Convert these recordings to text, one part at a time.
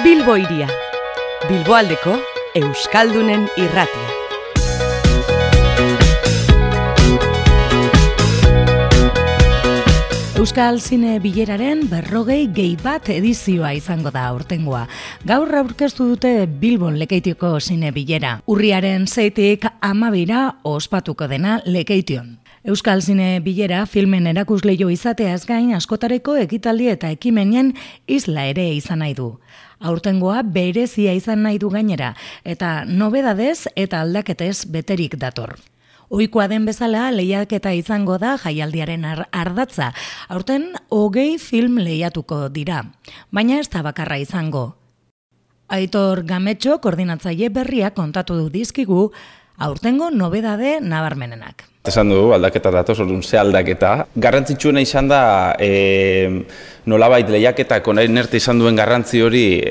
Bilbo Hiria, Bilboaldeko Euskaldunen irratia. Euskal Zine Bileraren 40. edizioa izango da aurtengoa. Gaur aurkeztu dute Bilbon Lekeitioko Zine Bilera. Urriaren 6-tik 12 ospatuko dena Lekeition. Euskal Zine Bilera filmen erakusleio izateaz gain askotareko ekitaldi eta ekimenien isla ere izan nahi du. Aurtengoa berezia izan nahi du gainera, eta nobedadez eta aldaketez beterik dator. Ohikoa den bezala lehiaketa izango da jaialdiaren ardatza. Aurten 20 film lehiatuko dira, baina ez da bakarra izango. Aitor Gametxo koordinatzaile berriak kontatu du dizkigu aurtengo nobedade nabarmenenak. Esan dugu, aldaketa datoz, orduan ze aldaketa. Garrantzitsuena izan da, nolabait lehiaketak orain arte izan duen garrantzi hori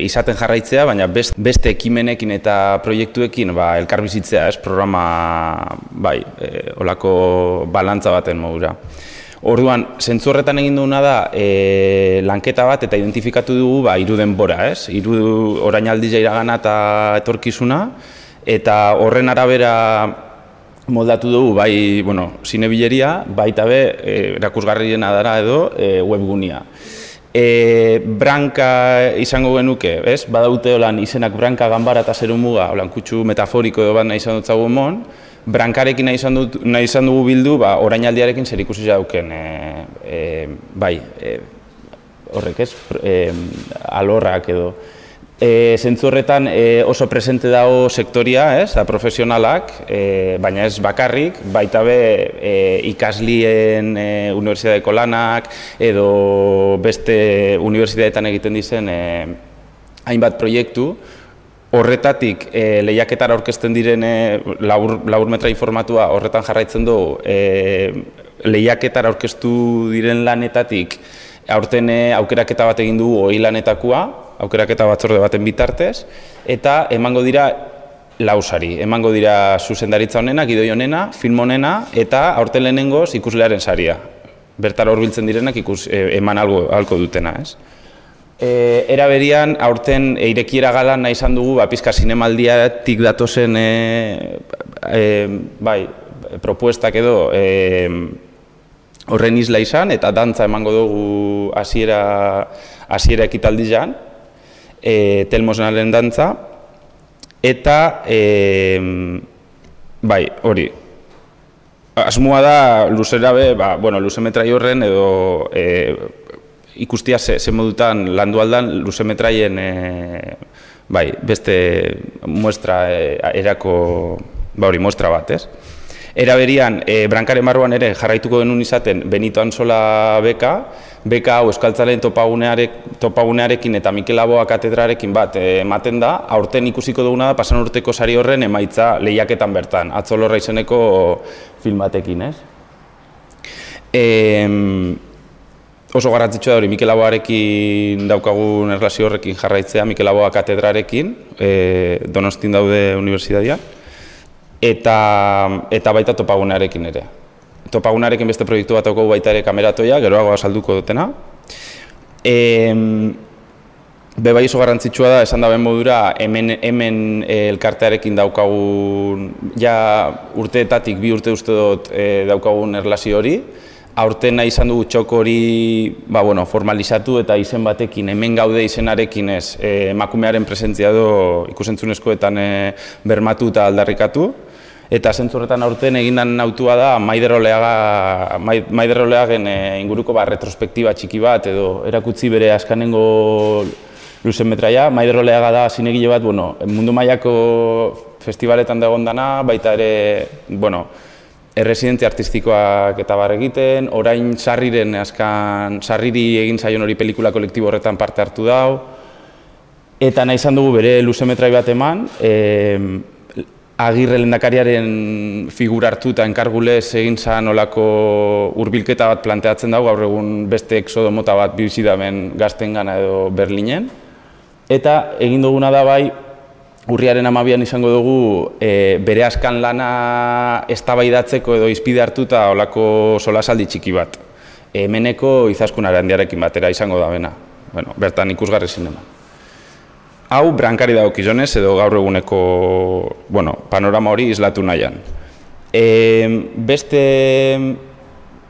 izaten jarraitzea, baina beste ekimenekin eta proiektuekin elkarbizitzea, programa, olako balantza baten modura. Orduan, zentzu horretan egin duguna da, lanketa bat eta identifikatu dugu hiru denbora, hiru orainaldia iragana eta etorkizuna, eta horren arabera moldatu dugu, Zine Bileria, baita erakusgarriena dara edo webgunia. Branka izango genuke, badaute olan izenak branka, ganbara eta zerumuga, olan kutsu metaforiko edo bat nahi izan dutzagu emon, brankarekin nahi izan dugu bildu, orainaldiarekin zer ikusi dauken, horrek alorrak edo. Zentzu horretan oso presente dago sektoria, profesionalak, baina ez bakarrik, baita ikaslien unibertsitateko lanak edo beste unibertsitateetan egiten dizen hainbat proiektu. Horretatik lehiaketara aurkezten diren laburmetra informatua horretan jarraitzen dugu, lehiaketara aurkeztu diren lanetatik aurten aukeraketa bat egin dugu 20 lanetakoa, aukeraketa batzorde baten bitartez, eta emango dira lausari, emango dira zuzendaritza honena, gidoi honena, film honena, eta aurten lehenengoz ikuslearen saria. Bertara hurbiltzen direnak eman ahalko dutena. Era berian, aurten irekiera galan nahi izan dugu, pizka zinemaldiatik datozen propuestak edo horren isla izan, eta dantza emango dugu hasiera ekitaldian, Telmosnalen dantza, eta hori. Asmoa da luzera luzemetrai horren edo ikustia ze modutan landu aldan luzemetraien beste muestra muestra bat, Era berian, brankaren barruan ere jarraituko genuen izaten Benito Antzola beka hau Euskaltzaleen topagunearekin eta Mikel Laboa katedrarekin bat ematen da, aurten ikusiko duguna da pasan urteko sari horren emaitza lehiaketan bertan, Atzolorra izeneko film batekin, Oso garrantzitsua da hori Mikel Laboarekin daukagun erlazio horrekin jarraitzea, Mikel Laboa katedrarekin, Donostin daude unibertsitatean. Eta baita topagunearekin ere. Topagunearekin beste proiektu bat daukagu baita ere kameratoia, geroago azalduko dutena. Bai oso garrantzitsua da, esan daben modura, hemen elkartearekin daukagun, urteetatik 2 urte uste dut daukagun erlazio hori. Aurten nahi izan dugu txoko hori formalizatu eta izen batekin, hemen gaude izenarekin emakumearen presentzia edo ikusentzunezkoetan bermatu eta aldarrikatu. Eta zentzu horretan aurten egindan autua da Maider Oleagen inguruko retrospektiba txiki bat edo erakutzi bere azkanengo luzemetraia. Maider Oleaga da zinegile bat, mundu mailako festivaletan dagoen dana, baita ere, erresidentzia artistikoak eta egiten, orain Sarriri egin zaion hori pelikula kolektibo horretan parte hartu dau, eta nahi izan dugu bere luzemetrai bat eman, Agirre lehendakariaren figura hartu eta enkargulez egin zan olako hurbilketa bat planteatzen dago, gaur egun beste exodo mota bat bizidamen gaztengana edo Berlinen. Eta egin duguna da urriaren 12an izango dugu bere askan lana eztabaidatzeko edo izpide hartuta olako solasaldi txiki bat. Hemeneko Izaskun Arandiarekin batera izango da bena. Bertan ikusgarri zinema. hau brankari dagokionez edo gaur eguneko panorama hori islatu nahian. Beste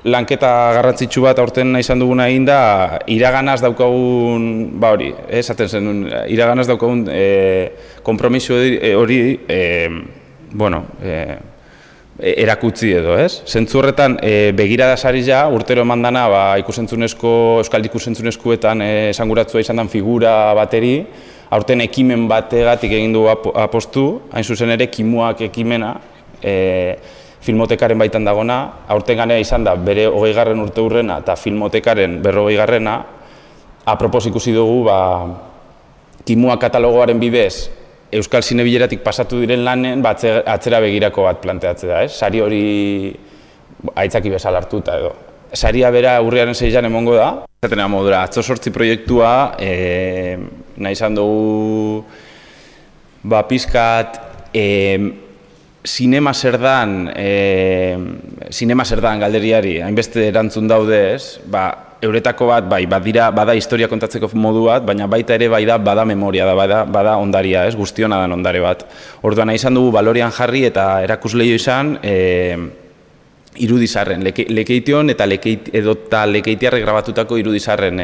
lanketa garrantzitsu bat aurten izan duguna egin da, iraganaz daukagun, esaten zen, iraganaz daukagun konpromiso hori, erakutzi edo, ez? Zentzu horretan, begirada sari ja, urtero eman dana, Euskal Ikusentzunezkoetan esanguratzua izan den figura bateri, aurten ekimen bategatik egin du apostu, hain zuzen ere, Kimuak ekimena, Filmotekaren baitan dagona, aurten ganea izan da bere 20. urte hurrena eta Filmotekaren 40. Apropos ikusi dugu, Kimuak katalogoaren bidez Euskal Zinebileratik pasatu diren lanen atzera begirako bat planteatzea da, ez? Sari hori aitzaki bezala hartuta edo. Saria bera urriaren 6an emongo da. Zatenea modura, Atzo 8 proiektua, nahi izan dugu pizkat Zinema zer dan galderiari, hainbeste erantzun daude ez, euretako bat, bada historia kontatzeko modu bat, baina baita ere bada memoria, bada ondaria ez, guztiona dan ondare bat. Orduan nahi izan dugu balorian jarri eta erakusleio izan irudizarren, Lekeition eta Lekeitiarrek grabatutako irudizarren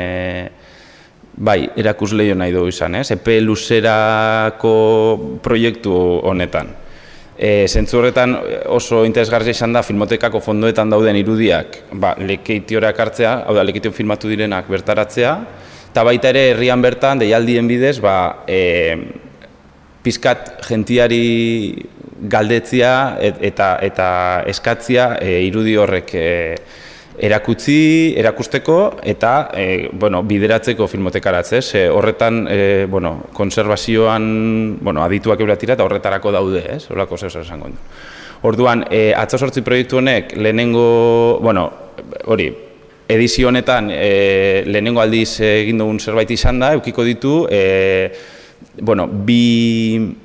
erakusleio nahi dugu izan, epe luzerako proiektu honetan. Zentzu horretan oso interesgarria izan da Filmotekako fondoetan dauden irudiak Lekeitiora hartzea, hau da, Lekeition filmatu direnak bertaratzea, eta baita ere herrian bertan, deialdien bidez, pizkat jentiari galdetzia eta eskatzia irudi horrek erakusteko eta bideratzeko filmotekaratze. Horretan konservazioan adituak euratira eta horretarako daude, horrelako zeu esango du. Orduan, Atzo 8 proiektu honek lehenengo, edizio honetan lehenengo aldiz egin dugun zerbait izan da, edukiko ditu bi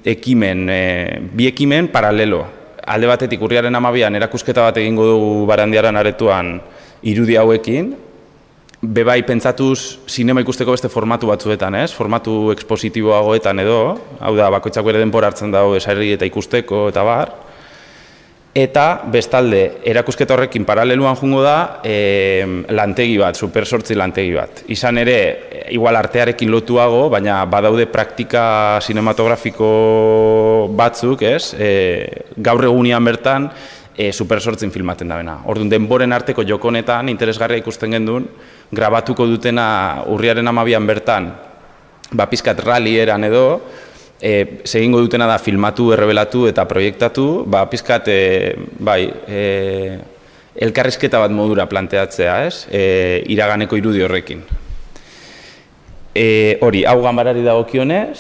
ekimen paralelo. Alde batetik urriaren 12an erakusketa bat egingo dugu Barandiaran aretoan irudi hauekin, bebai pentsatuz sinema ikusteko beste formatu batzuetan, formatu ekspositiboagoetan edo, hau da, bakoitzak bere denbora hartzen dago esarri eta ikusteko eta bar, eta bestalde, erakusketa horrekin paraleluan jungo da lantegi bat, Super 8 lantegi bat. Izan ere, igual artearekin lotuago, baina badaude praktika sinematografiko batzuk, gaur egunean bertan, Super 8 filmaten da bena. Orduan, denboren arteko jokonetan, interesgarria ikusten gendun, grabatuko dutena urriaren 12an bertan, pizkat rally eran edo, segingo dutena da filmatu, errebelatu eta proiektatu, pizkat, elkarrizketa bat modura planteatzea, iraganeko irudi horrekin. Hau ganbarari dagokionez,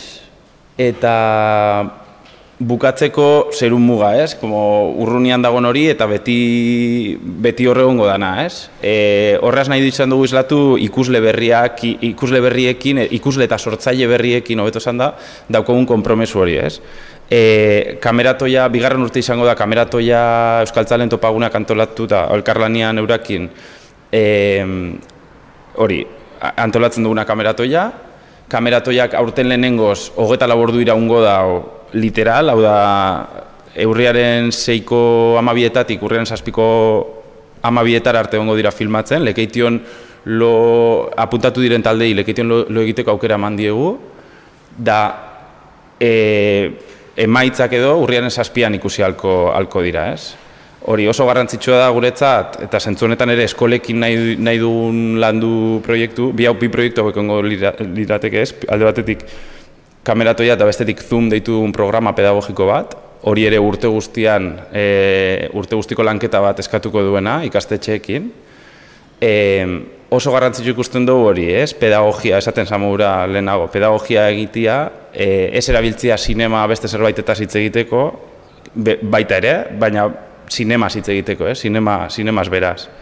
eta bukatzeko zerun muga, urrunian dagoen hori eta beti horregongo dana, horraz nahi izan dugu islatu ikusle berriekin, ikusle eta sortzaile berriekin hobeto esan da, daukogun konpromesu hori, Kameratoia, bigarren urte izango da, Kameratoia Euskaltzalen topagunak antolatuta, elkarlanian eurakin, antolatzen duguna Kameratoia, Kameratoiak aurten lehenengoz, 24 ordu iraungo da, literal, hau da, urriaren 6ko 12etatik, urriaren 7ko 12etara arte egongo dira filmatzen, Lekeition apuntatu diren taldei, Lekeition lo egiteko aukera eman diegu, da emaitzak edo urriaren 7an ikusi halko dira, Hori oso garrantzitsua da guretzat, eta zentzu honetan ere eskolekin nahi dugun landu proiektu, bi proiektu hauek egongo lirateke alde batetik Kameratoia eta bestetik Zoom deitu dugun programa pedagogiko bat, hori ere urte guztiko lanketa bat eskatuko duena ikastetxeekin. Oso garrantzitsu ikusten dugu hori, pedagogia, esaten zamura lehenago, pedagogia egitea, ez erabiltzea sinema beste zerbaitetaz hitz egiteko, baita ere, baina sinemaz hitz egiteko, sinemaz beraz.